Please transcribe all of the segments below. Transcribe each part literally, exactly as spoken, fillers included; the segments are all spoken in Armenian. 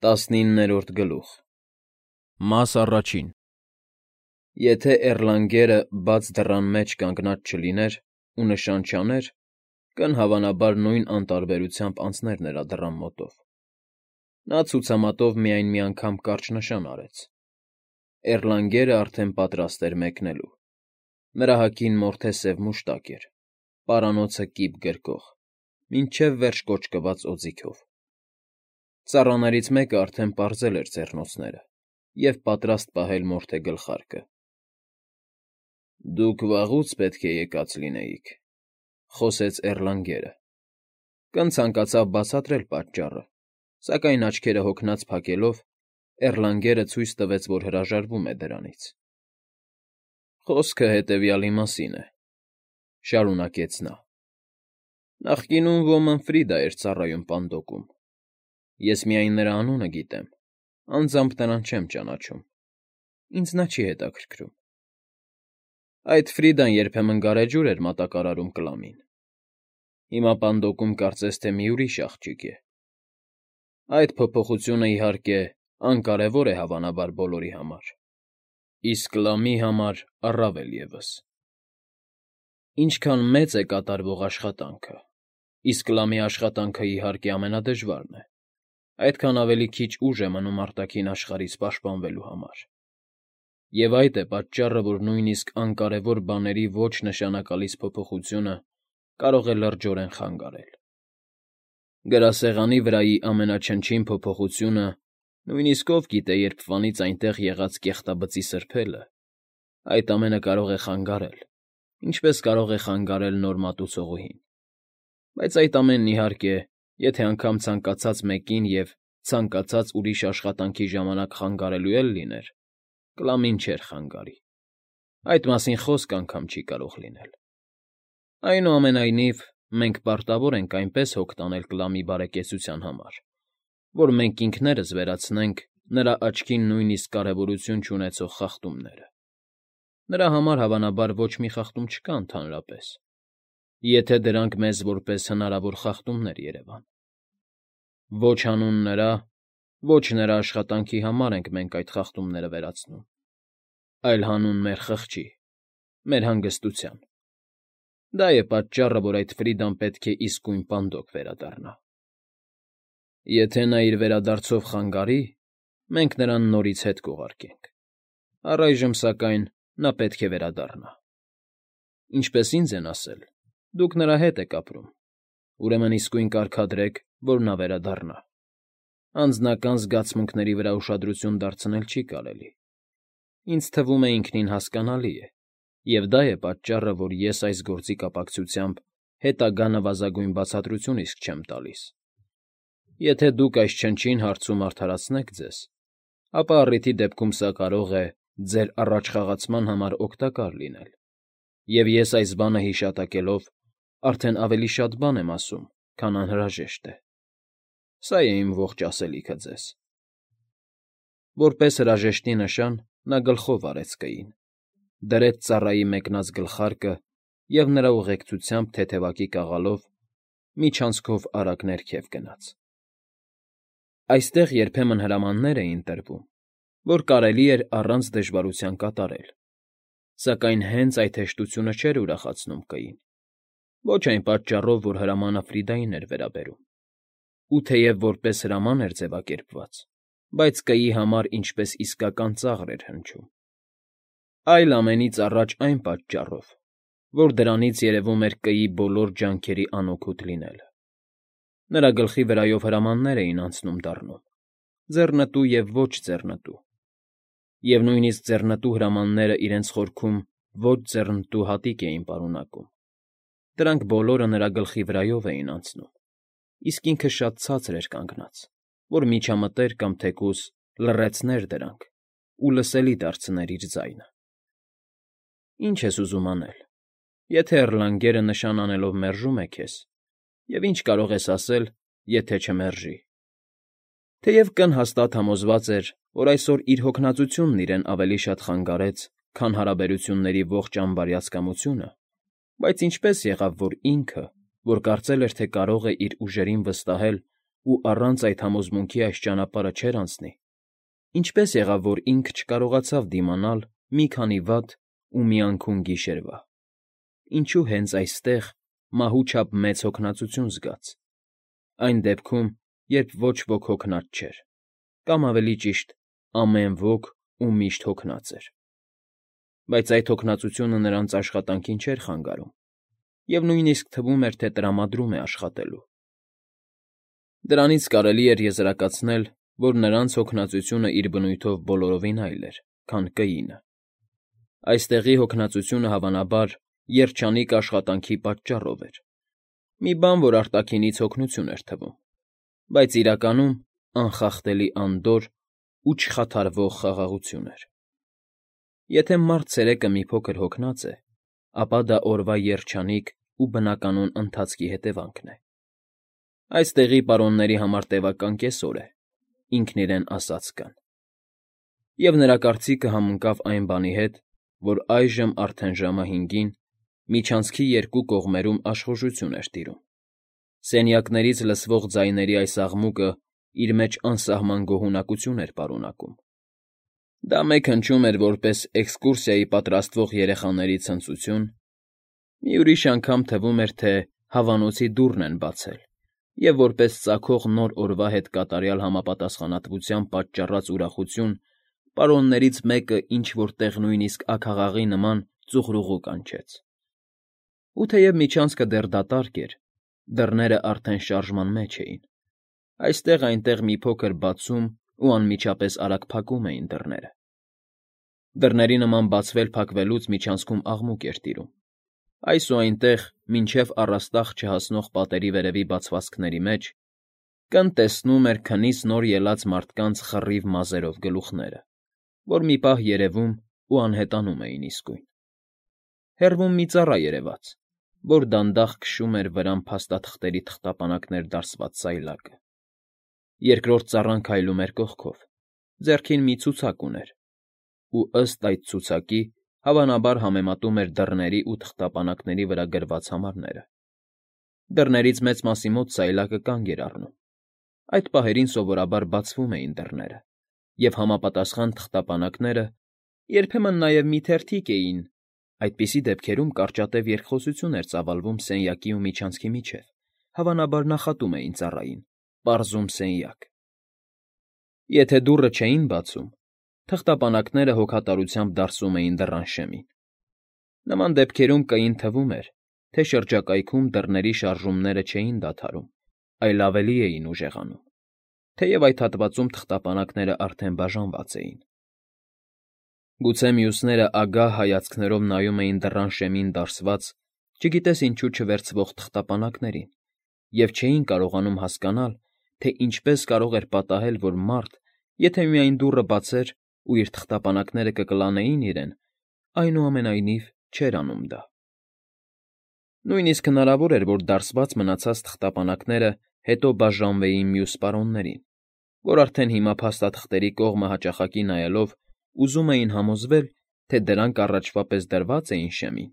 Տասնիններորդ գլուխ Մաս առաջին Եթե Էռլանգերը բաց դռան մեջ կանգնած չլիներ ու նշան չաներ, կն հավանաբար նույն անտարբերությամբ անցներ նրա դռան մոտով. նա ցուցամատով միայն մի անգամ կարճ նշան արեց. Էռլանգերը արդեն պատրաստ էր մեկնելու. նրա հագին մորթե սև մուշտակ էր, պարանոցը կիպ գրկող, մինչև վերջ կոճկված օձիքով. Ծառաներից մեկը արդեն պարզել էր ձեռնոցները և պատրաստ պահել մորթե գլխարկը։ Դուք վաղուց պետք է եկած լինեիք, խոսեց Էռլանգերը. կն ցանկացավ բացատրել պատճառը, սակայն աչքերը հոգնած փակելով, Էռլանգերը ցույց տվեց, որ հրաժարվում է դրանից։ Խոսքը հետևյալի մասին է, շարունակեց նա. նախկինում ոմն Ֆրիդա էր ծառայում Պանդոկում. ես միայն նրա անունը գիտեմ, անձամբ նրան չեմ ճանաչում, ինձ նա չի հետաքրքրում։ Այդ Ֆրիդան երբեմն գարեջուր էր մատակարարում Կլամին. հիմա Պանդոկում կարծես թե մի ուրիշ աղջիկ է։ Այդ փոփոխությունը, իհարկե, անկարևոր է հավանաբար բոլորի համար, իսկ Կլամի համար առավել ևս։ Ինչքան մեծ է կատարվող աշխատանքը, իսկ Կլամի աշխատանքը, իհարկե, ամենադժվարն է, այդքան ավելի քիչ ուժ է մնում արտաքին աշխարհից պաշտպանվելու համար։ Եվ այդ է պատճառը, որ նույնիսկ անկարևոր բաների ոչ նշանակալից փոփոխությունը կարող է լրջորեն խանգարել։ Գրասեղանի վրայի ամենաչնչին փոփոխությունը, նույնիսկ ով գիտե երբվանից այնտեղ եղած կեղտաբծի սրբելը, այդ ամենը կարող է խանգարել, ինչպես կարող է խանգարել նոր մատուցողուհին։ Բայց այդ ամենն, իհարկե, եթե անգամ ցանկացած մեկին և ցանկացած ուրիշ աշխատանքի ժամանակ խանգարելու էլ լիներ, Կլամին չէր խանգարի։ Այդ մասին խոսք անգամ չի կարող լինել։ Այնուամենայնիվ, մենք պարտավոր ենք այնպես հոգ տանել Կլամի բարեկեցության համար, որ մենք ինքներս վերացնենք նրա աչքին նույնիսկ կարևորություն չունեցող խախտումները։ Նրա համար, հավանաբար, ոչ մի խախտում չկա ընդհանրապես, եթե դրանք մեզ որպես հնարավոր խախտումներ երևան։ Ոչ հանուն նրա, ոչ նրա աշխատանքի համար ենք մենք այդ խախտումները վերացնում, այլ հանուն մեր խղճի, մեր հանգստության։ Դա է պատճառը, որ այդ Ֆրիդան պետք է իսկույն Պանդոկ վերադառնա։ Եթե նա իր վերադարձով խանգարի, մենք նրան նորից հետ կուղարկենք։ Առայժմ, սակայն, նա պետք է վերադառնա։ Ինչպես ինձ են ասել, դուք նրա հետ եք ապրում, ուրեմն իսկույն կարգադրեք, որ նա վերադառնա։ Անձնական զգացմունքների վրա ուշադրություն դարձնել չի կարելի։ Ինձ թվում է ինքնին հասկանալի է, և դա է պատճառը, որ ես այս գործի կապակցությամբ հետագա նվազագույն բացատրություն իսկ չեմ տալիս։ Եթե դուք այս չնչին հարցում արդարացնեք ձեզ, ապա առիթի դեպքում սա կարող է ձեր առաջխաղացման համար օգտակար լինել, և ես այս բանը հիշատակելով արդեն ավելի շատ բան եմ ասում, քան անհրաժեշտ է։ Սա է իմ ողջ ասելիքը ձեզ։ Որպես հրաժեշտի նշան նա գլխով արեց կային, դրեց ծառայի մեկնած գլխարկը և նրա ուղեկցությամբ թեթևակի կաղալով միջանցքով արագ ներքև գնաց։ Այստեղ երբեմն հրամաններ էին տրվում, որ կարելի էր առանց դժվարության կատարել, սակայն հենց այդ հեշտությունը չէր ուրախացնում կային, ոչ այն պատճառով, որ հրամանը Ֆրիդային էր վերաբերում, ու թեև որպես հրաման էր ձևակերպված, բայց կայի համար ինչպես իսկական ծաղր էր հնչում, այլ ամենից առաջ այն պատճառով, որ դրանից երևում էր կայի բոլոր ջանքերի անօգուտ լինելը։ Նրա գլխի վրայով հրամաններ էին անցնում դառնում, ձեռնտու և ոչ ձեռնտու, և նույնիսկ ձեռնտու հրամանները իրենց խորքում ոչ ձեռնտու հատիկ էին պարունակում։ Դրանք բոլորը նրա գլխի վրայով էին անցնում, իսկ ինքը շատ ցածր էր կանգնած, որ միջամտեր կամ թեկուզ լռեցներ դրանք ու լսելի դարձներ իր ձայնը։ Ի՞նչ ես ուզում անել, եթե Էռլանգերը նշան անելով մերժում է քեզ, և ի՞նչ կարող ես ասել, եթե չմերժի։ Թեև կն հաստատ համոզված էր, որ այսօր իր հոգնածությունն իրեն ավելի շատ խանգարեց, քան հարաբերությունների ողջ անբարյացկամությունը, բայց ինչպես եղավ, որ ինքը, որ կարծել էր, թե կարող է իր ուժերին վստահել ու առանց այդ համոզմունքի այս ճանապարհը չէր անցնի, ինչպե՞ս եղավ, որ ինքը չկարողացավ դիմանալ մի քանի վատ ու մի անքուն գիշերվա, ինչու հենց այստեղ մահու չափ մեծ հոգնածություն զգաց, այն դեպքում, երբ ոչ ոք հոգնած չէր, կամ ավելի ճիշտ, ամեն ոք ու միշտ հոգնած էր, բայց այդ հոգնածությունը նրանց աշխատանքին չէր խանգարում և նույնիսկ թվում էր, թե տրամադրում է աշխատելու։ Դրանից կարելի էր եզրակացնել, որ նրանց հոգնածությունը իր բնույթով բոլորովին այլ էր, քան Կայինը։ Այստեղի հոգնածությունը, հավանաբար, երջանիկ աշխատանքի պատճառով էր, մի բան, որ արտաքինից հոգնություն էր թվում, բայց իրականում անխախտելի անդորր ու չխաթարվող խաղաղություն էր։ Եթե մարդ ցերեկը մի փոքր հոգնած է, ապա դա օրվա երջանիկ ու բնականոն ընթացքի հետևանքն է։ Այստեղի պարոնների համար տևական կեսօր է, ինքն իրեն ասաց Կան։ Եվ նրա կարծիքը համընկավ այն բանի հետ, որ այժմ արդեն ժամը հինգին միջանցքի երկու կողմերում աշխուժություն էր տիրում։ Սենյակներից լսվող ձայների այս աղմուկը իր մեջ անսահման գոհունակություն էր պարունակում։ Դա մեկ հնչում էր որպես էքսկուրսիայի պատրաստվող երեխաների ցնծություն, մի ուրիշ անգամ թվում էր, թե հավանոցի դուռն են բացել, և որպես ծագող նոր օրվա հետ կատարյալ համապատասխանատվության պատճառած ուրախություն պարոններից մեկը ինչ֊որ տեղ նույնիսկ աքաղաղի նման ծուխրուղու կանչեց։ Ու թեև միջանցքը դեռ դատարկ էր, դռներն արդեն շարժման մեջ էին, այստեղ֊այնտեղ մի փոքր բացում ու անմիջապես արագ փակում էին դռները։ Դռների նման բացվել֊փակվելուց միջանցքում աղմուկ էր տիրում։ Այս ու այնտեղ, մինչև առաստաղ չհասնող պատերի վերևի բացվածքների մեջ, Կն տեսնում էր քնից նոր ելած մարդկանց խռիվ մազերով գլուխները, որ մի պահ երևում ու անհետանում էին իսկույն։ Հեռվում մի ծառա երևաց, որ դանդաղ քշում էր վրան փաստաթղթերի թղթապանակներ դարսված սայլակը։ Երկրորդ ծառան քայլում էր կողքով, ձեռքին մի ցուցակ ուներ, ու ըստ այդ ցուցակի, հավանաբար համեմատում էր դռների ու թղթապանակների վրա գրված համարները։ Դռներից մեծ մասի մոտ սայլակը կանգ էր առնում։ Այդ պահերին սովորաբար բացվում էին դռները, և համապատասխան թղթապանակները, երբեմն նաև մի թերթիկ էին, այդպիսի դեպքերում կարճատև երկխոսություն էր ծավալվում սենյակի ու միջանցքի միջև, հավանաբար նախատում էին ծառային, պարզում սենյակ։ Եթե դուռը չէին բացում, թղթապանակները հոգատարությամբ դարսում էին դռան շեմին։ Նման դեպքերում Կային թվում էր, թե շրջակայքում դռների շարժումները չէին դադարում, այլ ավելի էին ուժեղանում, թեև այդ հատվածում թղթապանակներն արդեն բաժանված էին։ Գուցե մյուսները ագահ հայացքներով նայում էին դռան շեմին դարսված, չգիտես ինչու չվերցվող թղթապանակներին, և չէին կարողանում հասկանալ, թե ինչպես կարող էր պատահել, որ մարդ, եթե միայն դուռը բացեր ու իր թղթապանակները կկլանեին իրեն, այնուամենայնիվ չէր անում դա։ Նույնիսկ հնարավոր էր, որ դարսված մնացած թղթապանակները հետո բաժանվեին մյուս պարոններին, որ արդեն հիմա փաստաթղթերի կողմը հաճախակի նայելով ուզում էին համոզվել, թե դրանք առաջվա պես դրված էին շեմին,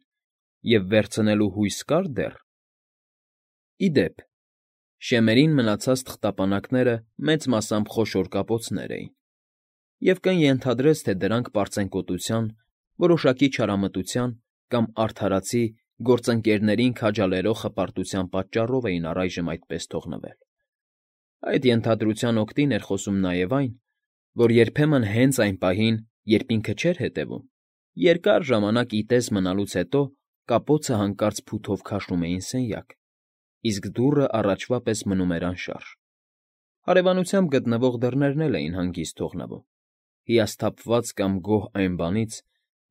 և վերցնելու հույս կար դեռ։ Ի դեպ, շեմերին մնացած թղթապանակները մեծ մասամբ խոշոր կապոցներ էին, և Կն ենթադրեց, թե դրանք պարծենկոտության, որոշակի չարամտության կամ արդարացի գործընկերներին քաջալերող հպարտության պատճառով էին առայժմ այդպես թողնվել։ Այդ ենթադրության օգտին էր խոսում նաև այն, որ երբեմն հենց այն պահին, երբ ինքը չէր հետևում, երկար ժամանակ ի տես մնալուց հետո կապոցը հանկարծ փութով քաշում էին սենյակ, իսկ դուռը առաջվա պես մնում էր անշարժ։ Հարևանությամբ գտնվող դռներն էլ էին հանգիստ թողնվում, հիասթափված կամ գոհ այն բանից,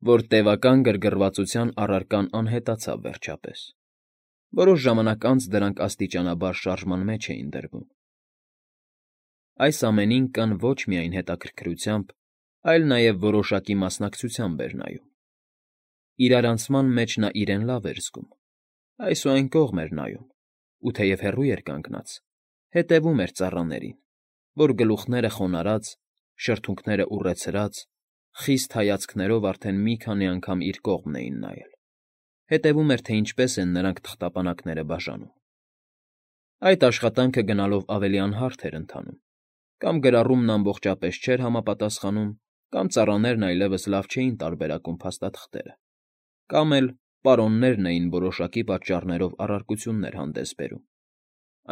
որ տևական գրգռվածության առարկան անհետացավ վերջապես։ Որոշ ժամանակ անց դրանք աստիճանաբար շարժման մեջ էին դրվում։ Այս ամենին Կն ոչ միայն հետաքրքրությամբ, այլ նաև որոշակի մասնակցությամբ էր նայում։ Իրարանցման մեջ նա իրեն լավ էր զգում, այս ու այն կողմ էր նայում, ու թեև հեռու էր կանգնած, հետևում էր ծառաներին, որ գլուխները խոնարհած, շրթունքները ուռեցրած, խիստ հայացքներով արդեն մի քանի անգամ իր կողմն էին նայել, հետևում էր, թե ինչպես են նրանք թղթապանակները բաժանում։ Այդ աշխատանքը գնալով ավելի անհարթ էր ընթանում. կամ գրառումն ամբողջապես չէր համապատասխանում, կամ ծառաներն այլևս լավ չէին տարբերակում փաստաթղթերը, կամ էլ պարոններն էին որոշակի պատճառներով առարկություններ հանդես բերում.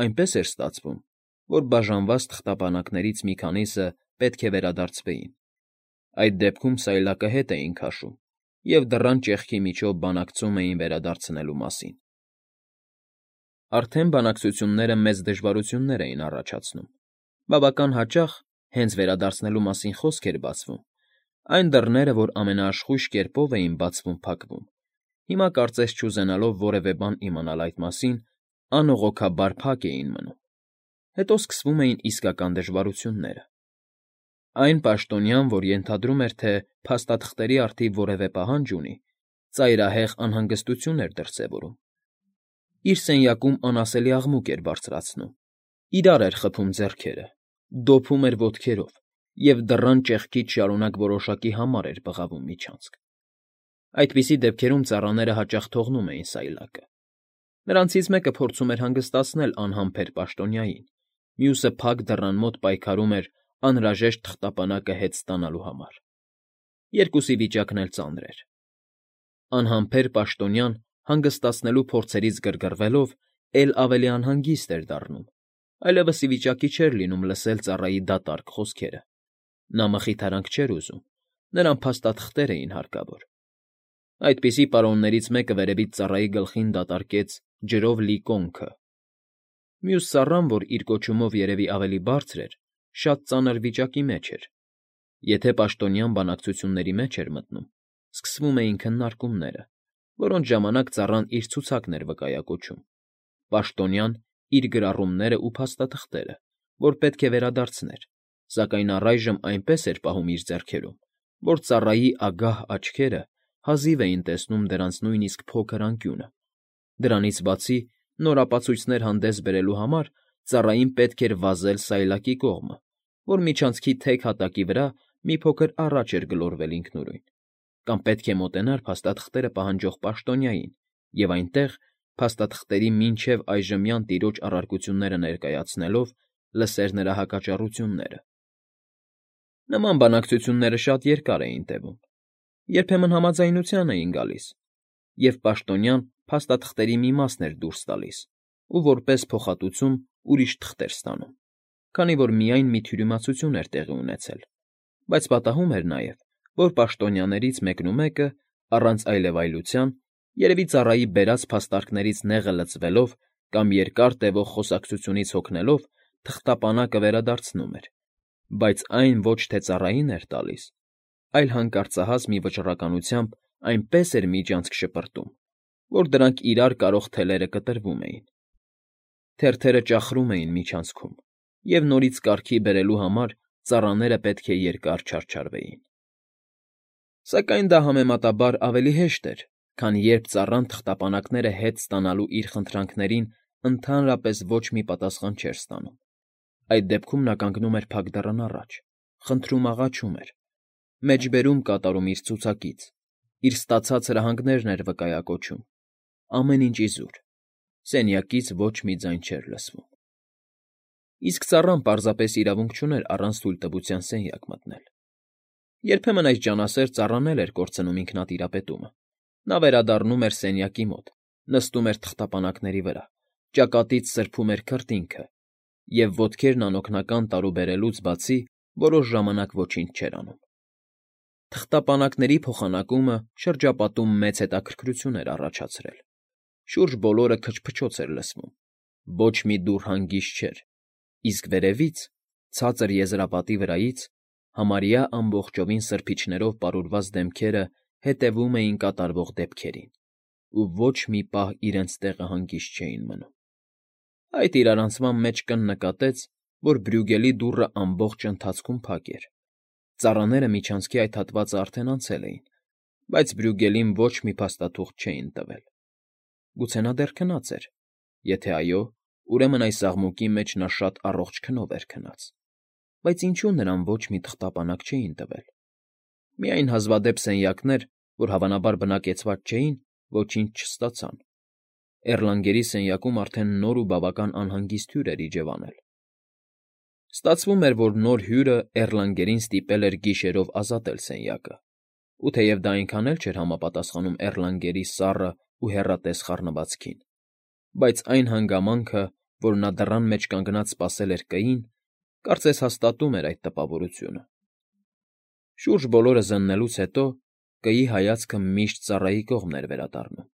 այնպես էր ստացվում, որ բաժանված թղթապանակներից մի քանիսը պետք է վերադարձվեին. այդ դեպքում սայլակը հետ էին քաշում և դռան ճեղքի միջով բանակցում էին վերադարձնելու մասին։ Արդեն բանակցությունները մեծ դժվարություններ էին առաջացնում. բավական հաճախ, հենց վերադարձնելու մասին խոսք էր բացվում, այն դռները, որ ամենաաշխույժ կերպով էին բացվում֊փակվում, հիմա կարծես չուզենալով որևէ բան իմանալ այդ մասին, անողոքաբար փակ էին մնում։ Հետո սկսվում էին իսկական դժվարությունները։ Այն պաշտոնյան, որ ենթադրում էր, թե փաստաթղթերի առթիվ որևէ պահանջ ունի, ծայրահեղ անհանգստություն էր դրսևորում։ Իր սենյակում անասելի աղմուկ էր բարձրացնում, իրար էր խփում ձեռքերը, դոփում էր ոտքերով և դռան ճեղքից շարունակ որոշակի համար էր բղավում միջանցք։ Այդպիսի դեպքերում ծառաները հաճախ թողնում էին սայլակը։ Նրանցից մեկը փորձում էր հանգստացնել անհամբեր պաշտոնյային, մյուսը փակ դռան մոտ պայքարում էր անհրաժեշտ թղթապանակը հետ ստանալու համար։ Երկուսի վիճակն էլ ծանր էր։ Անհամբեր պաշտոնյան հանգստացնելու փորձերից գրգռվելով էլ ավելի անհանգիստ էր դառնում, այլևս ի վիճակի չէր լինում լսել ծառայի դատարկ խոսքերը։ Նա մխիթարանք չէր ուզում, նրան փաստաթղթեր էին հարկավոր։ Այդպիսի պարոններից մեկը վերևից ծառայի գլխին դատարկեց ջրով լի կոնքը։ Մյուս ծառան, որ իր կոչումով երևի ավելի բարձր էր, շատ ծանր վիճակի մեջ էր։ Եթե պաշտոնյան բանակցությունների մեջ էր մտնում, սկսվում էին քննարկումները, որոնց ժամանակ ծառան իր ցուցակն էր վկայակոչում, պաշտոնյան՝ իր գրառումներն ու փաստաթղթերը, որ պետք է վերադարձներ, սակայն առայժմ այնպես էր պահում իր ձեռքերում, որ ծառայի ագահ աչքերը հազիվ էին տեսնում դրանց նույնիսկ փոքր անկյունը։ Դրանից բացի, նոր ապացույցներ հանդես բերելու համար ծառային պետք էր վազել սայլակի կողմը, որ միջանցքի թեք հատակի վրա մի փոքր առաջ էր գլորվել ինքնուրույն, կամ պետք է մոտենար փաստաթղթերը պահանջող պաշտոնյային և այնտեղ, փաստաթղթերի մինչև այժմյան տիրոջ առարկությունները ներկայացնելով, լսեր նրա հակաճառությունները։ Նման բանակցությունները շատ երկար էին տևում, երբեմն համաձայնության էին գալիս, և պաշտոնյան փաստաթղթերի մի մասն էր դուրս տալիս ու որպես փոխհատուցում ուրիշ թղթեր ստանում, քանի որ միայն մի թյուրիմացություն էր տեղի ունեցել, բայց պատահում էր նաև, որ պաշտոնյաներից մեկնումեկը, առանց այլևայլության, երևի ծառայի բերած փաստարկներից նեղը լցվելով կամ երկար տևող խոսակցությունից հոգնելով, թղթապանակը վերադարձնում էր, բայց այն ոչ թե ծառային էր տալիս, այլ հանկարծահաս մի վճռականությամբ այնպես էր միջանցք շպրտում, որ դրանք իրար կարող թելերը կտրվում էին։ Թերթերը ճախրում էին միջանցքում, և նորից կարգի բերելու համար ծառաները պետք է երկար չարչարվեին։ Սակայն դա համեմատաբար ավելի հեշտ էր, քան երբ ծառան թղթապանակները հետ ստանալու իր խնդրանքներին ընդհանրապես ոչ մի պատասխան չէր ստանում։ Այդ դեպքում նա կանգնում էր փակ դռան առաջ, խնդրում֊աղաչում էր, մեջբերում կատարում իր ցուցակից, իր ստացած հրահանգներն էր վկայակոչում, ամեն ինչ իզուր, սենյակից ոչ մի ձայն չէր լսվում։ Իսկ ծառան պարզապես իրավունք չուներ առանց թույլտվության սենյակ մտնել։ Երբեմն այս ջանասեր ծառան էլ էր կորցնում ինքնատիրապետումը։ Նա վերադառնում էր սենյակի մոտ, նստում էր թղթապանակների վրա, ճակատից սրբում էր քրտինքը և, ոտքերն անօգնական տարուբերելուց բացի, որոշ ժամանակ ոչինչ չէր անում։ Թղթապանակների փոխանակումը շրջապատում մեծ հետաքրքրություն էր առաջացրել։ Շուրջ բոլորը քչփչոց էր լսվում, ոչ մի դուռ հանգիստ չէր, իսկ վերևից, ցածր եզրապատի վրայից, համարյա ամբողջովին սրբիչներով պարուրված դեմքերը հետևում էին կատարվող դեպքերին ու ոչ մի պահ իրենց տեղը հանգիստ չէին մնում։ Այդ իրարանցման մեջ կննկատեց, որ Բրյուգելի դուռը ամբողջ ընթացքում փակ էր։ Ծառաները միջանցքի այդ հատվածը արդեն անցել էին, բայց Բրյուգելին ոչ մի փաստաթուղթ չէին տվել։ Գուցե նա դեռ քնած էր։ Եթե այո, ուրեմն այս աղմուկի մեջ նա շատ առողջ քնով էր քնած։ Բայց ինչո՞ւ նրան ոչ մի թղթապանակ չէին տվել։ Միայն հազվադեպ սենյակներ, որ հավանաբար բնակեցված չէին, ոչինչ չստացան։ Էռլանգերի սենյակում արդեն նոր ու բավական անհանգիստ հյուր էր իջևանել։ Ստացվում էր, որ նոր հյուրը Էռլանգերին ստիպել էր գիշերով ազատել սենյակը, ու թեև դա այնքան էլ չէր համապատասխանում Էռլանգերի սառն ու հեռատես խառնվածքին, բայց այն հանգամանքը, որ նա դռան մեջ կանգնած սպասել էր Կ֊ին, կարծես հաստատում էր այդ տպավորությունը։ Շուրջ բոլորը զննելուց հետո Կ֊ի հայացքը միշտ ծառայի կողմն էր վերադառնում։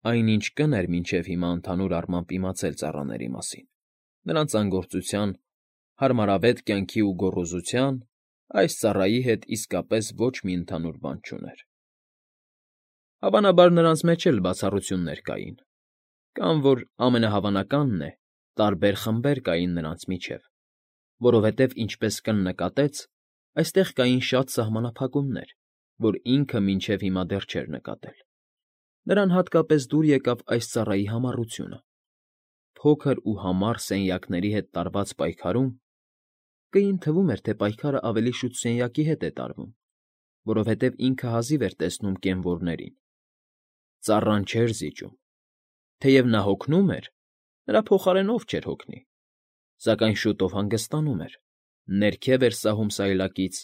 Այն, ինչ Կ֊ն էր մինչև հիմա ընդհանուր առմամբ իմացել ծառաների մասին, նրանց անգործության, հարմարավետ կյանքի ու գոռոզության, այս ծառայի հետ իսկապես ոչ մի ընդհանուր բան չուներ։ Հավանաբար նրանց մեջ էլ բացառություններ կային, կամ որ ամենահավանականն է, տարբեր խմբեր կային նրանց միջև, որովհետև, ինչպես Կ֊ն նկատեց, այստեղ կային շատ սահմանափակումներ, որ ինքը մինչև հիմա դեռ չէր նկատել։ Նրան հատկապես դուր եկավ այս ծառայի համառությունը։ Փոքր ու համառ սենյակների հետ տարված պայքարում Կ֊ին թվում էր, թե պայքարը ավելի շուտ սենյակի հետ է տարվում, որովհետև ինքը հազիվ էր տեսնում կենվորներին։ Ծառան չէր զիջում։ Թեև նա հոգնում էր, նրա փոխարենով չէր հոգնի, սակայն շուտով հանգստանում էր, ներքև էր սահում սայլակից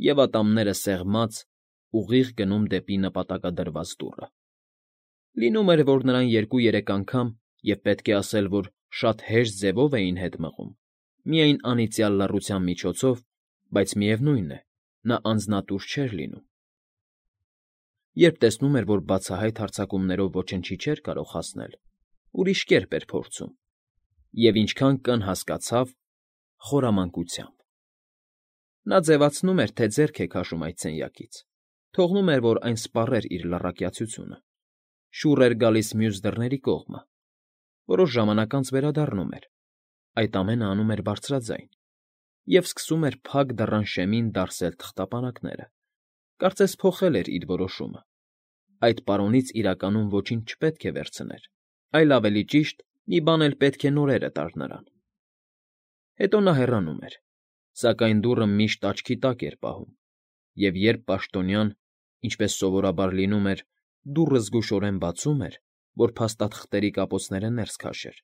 և ատամները սեղմած, ուղիղ գնում դեպի նպատակադրված դուռը։ Լինում էր, որ նրան երկու֊երեք անգամ, և պետք է ասել, որ շատ հեշտ ձևով էին հետ մղում, միայն անիծյալ լռության միջոցով, բայց միևնույն է, նա անձնատուր չէր լինում։ Երբ տեսնում էր, որ բացահայտ հարձակումներով ոչնչի չէր կարող հասնել, ուրիշ կերպ էր փորձում, և ինչքան Կ֊ն հասկացավ՝ խորամանկությամբ։ Նա ձևացնում էր, թե ձեռք է քաշում այդ սենյակից, թողնում էր, որ այն սպառեր իր լռակյացությունը, շուռ էր գալիս մյուս դռների կողմը, որոշ ժամանակ անց վերադառնում էր, այդ ամենը անում էր բարձրաձայն, և սկսում էր փակ դռան շեմին դարսել թղթապանակները, կարծես փոխել էր իր որոշումը։ Այդ պարոնից իրականում ոչինչ չպետք է վերցներ, այլ ավելի ճիշտ, մի բան էլ պետք է նորերը տար նրան։ Հետո նա հեռանում էր, սակայն դուռը միշտ աչքի տակ էր պահում, և երբ պաշտոնյան, ինչպես սովորաբար լինում էր, դուռը զգուշորեն բացում էր, որ փաստաթղթերի կապոցները ներս քաշեր,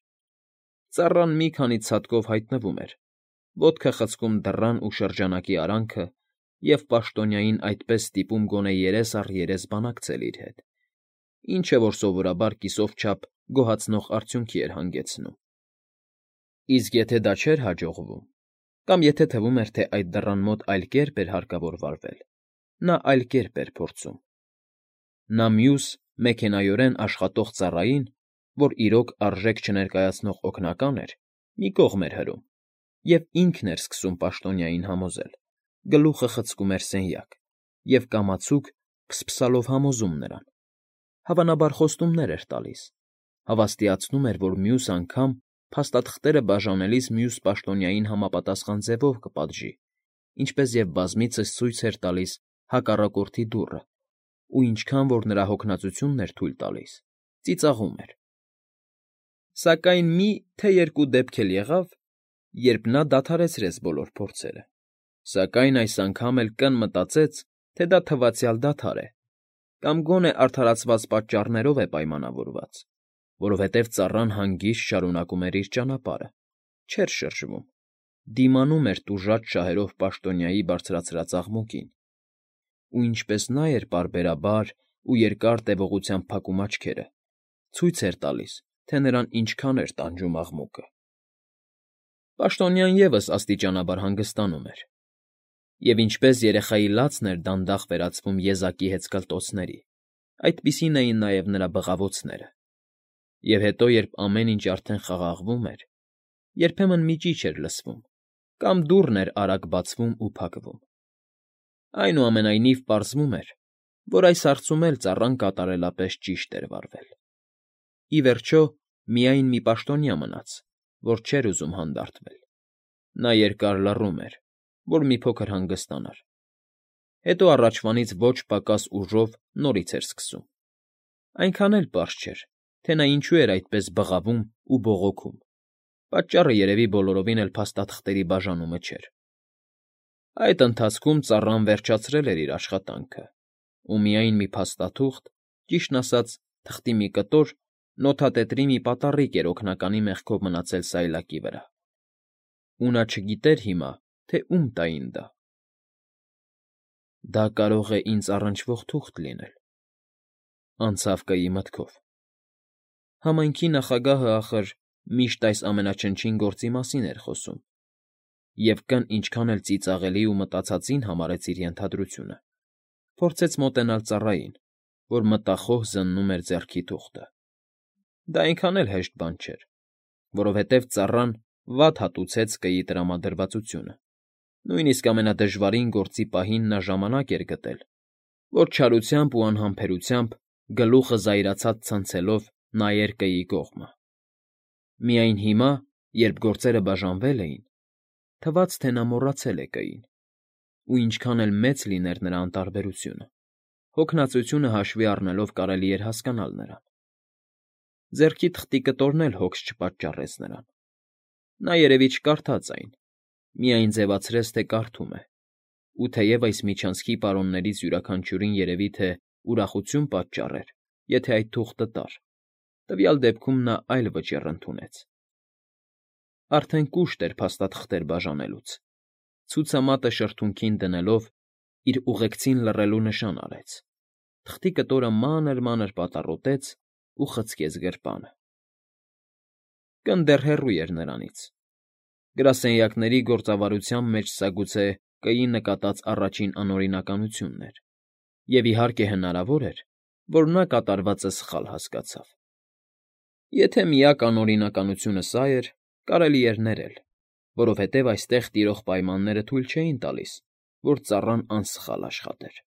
ծառան մի քանի ցատկով հայտնվում էր, ոտքը խցկում դռան ու շրջանակի արանքը և պաշտոնյային այդպես ստիպում գոնե երես առ երես բանակցել իր հետ, ինչը որ սովորաբար կիսով չափ գոհացնող արդյունքի էր հանգեցնում։ Իսկ եթե դա չէր հաջողվում, կամ եթե թվում էր, թե այդ դռան մոտ այլ կերպ էր հարկավոր վարվել, նա այլ կերպ էր փորձում։ Նա մյուս, մեքենայորեն աշխատող ծառային, որ իրոք արժեք չներկայացնող օգնական էր, մի կողմ էր հրում, և ինքն էր սկսում պաշտոնյային համոզել, գլուխը խցկում էր սենյակ և կամացուկ փսփսալով համոզում նրան, հավանաբար խոստումներ էր տալիս, հավաստիացնում էր, որ մյուս անգամ փաստաթղթերը բաժանելիս մյուս պաշտոնյային համապատասխան ձևով կպատժի, ինչպես և բազմիցս ցույց էր տալիս հակառակորդի դուռը ու ինչքան որ նրա հոգնածությունն էր թույլ տալիս, ծիծաղում էր։ Սակայն մի, թե երկու դեպք էլ եղավ, երբ նա դադարեցրեց բոլոր փորձերը, սակայն այս անգամ էլ Կ֊ն մտածեց, թե դա թվացյալ դադար է, կամ գոնե արդարացված պատճառներով է պայմանավորված, որովհետև ծառան հանգիստ շարունակում էր իր ճանապարհը, չէր շրջվում, դիմանում էր տուժած շահերով պաշտոնյայի բարձրացրած աղմուկին, ու ինչպես նա էր պարբերաբար ու երկար տևողությամբ փակում աչքերը, ցույց էր տալիս, թե նրան ինչքան էր տանջում աղմուկը։ Պաշտոնյան ևս աստիճանաբար հանգստանում էր, և ինչպես երեխայի լացն էր դանդաղ վերածվում եզակի հեծկլտոցների, այդպիսին էին նաև նրա բղավոցները։ Եվ հետո, երբ ամեն ինչ արդեն խաղաղվում էր, երբեմն մի ճիչ էր լսվում, կամ դուռն էր արագ բացվում ու փակվում։ Այնուամենայնիվ պարզվում էր, որ այս հարցում էլ ծառան կատարելապես ճիշտ էր վարվել։ Ի վերջո, միայն մի պաշտոնյա մնաց, որ չէր ուզում հանդարտվել։ Նա երկար լռում էր, որ մի փոքր հանգստանար։ Հետո առաջվանից ոչ պակաս ուժով նորից էր սկսում։ Այնքան էլ պարզ չէր, թե նա ինչու էր այդպես բղավում ու բողոքում, պատճառը երևի բոլորովին էլ փաստաթղթերի բաժանումը չէր։ Այդ ընթացքում ծառան վերջացրել էր իր աշխատանքը, ու միայն մի փաստաթուղթ, ճիշտն ասած, թղթի մի կտոր, նոթատետրի մի պատառիկ էր օգնականի մեղքով մնացել սայլակի վրա, ու նա չգիտեր հիմա, թե ում տային դա։ «Դա կարող է ինձ առնչվող թուղթ լինել», անցավ Կըի մտքով։ Համայնքի նախագահը, ախր, միշտ այս ամենաչնչին գործի մասին էր խոսում, և կն ինչքան էլ ծիծաղելի ու մտածածին համարեց իր ենթադրությունը, փորձեց մոտենալ ծառային, որ մտախոհ զննում էր ձեռքի թուղթը։ Դա այնքան էլ հեշտ բան չէր, որովհետև ծառան վատ հատուցեց Կըի տրամադրվածությունը, նույնիսկ ամենադժվարին գործի պահին նա ժամանակ էր գտել, որ չարությամբ ու անհամբերությամբ, գլուխը զայրացած ցնցելով, նայեր Կըի կողմը։ Միայն հիմա, երբ գործերը բաժանվել էին, թվաց, թե նա մոռացել է Կըին, ու ինչքան էլ մեծ լիներ նրա անտարբերությունը, հոգնածությունը հաշվի առնելով կարելի էր հասկանալ նրան։ Ձեռքի թղթի կտորն էլ հոգս չպատճառեց նրան։ Նա երևի չկարդաց այն, միայն ձևացրեց, թե կարդում է, ու թեև այս միջանցքի պարոններից յուրաքանչյուրին երևի թե ուրախություն պատճառեր, եթե այդ թուղթը տար, տվյալ դեպքում նա այլ վճիռ ընդունեց։ Արդեն կուշտ էր փաստաթղթեր բաժանելուց, ցուցամատը շրթունքին դնելով, իր ուղեկցին լռելու նշան արեց, թղթի կտորը մանր֊մանր պատառոտեց ու խցկեց գրպանը։ Կն դեռ հեռու էր նրանից։ Գրասենյակների գործավարության մեջ սա գուցե Կըի նկատած առաջին անօրինականությունն էր, և, իհարկե, հնարավոր էր, որ նա կատարվածը սխալ հասկացավ։ Եթե միակ անօրինականությունը սա էր, կարելի էր ներել, որովհետև այստեղ տիրող պայմանները թույլ չէին տալիս, որ ծառան անսխալ աշխատեր։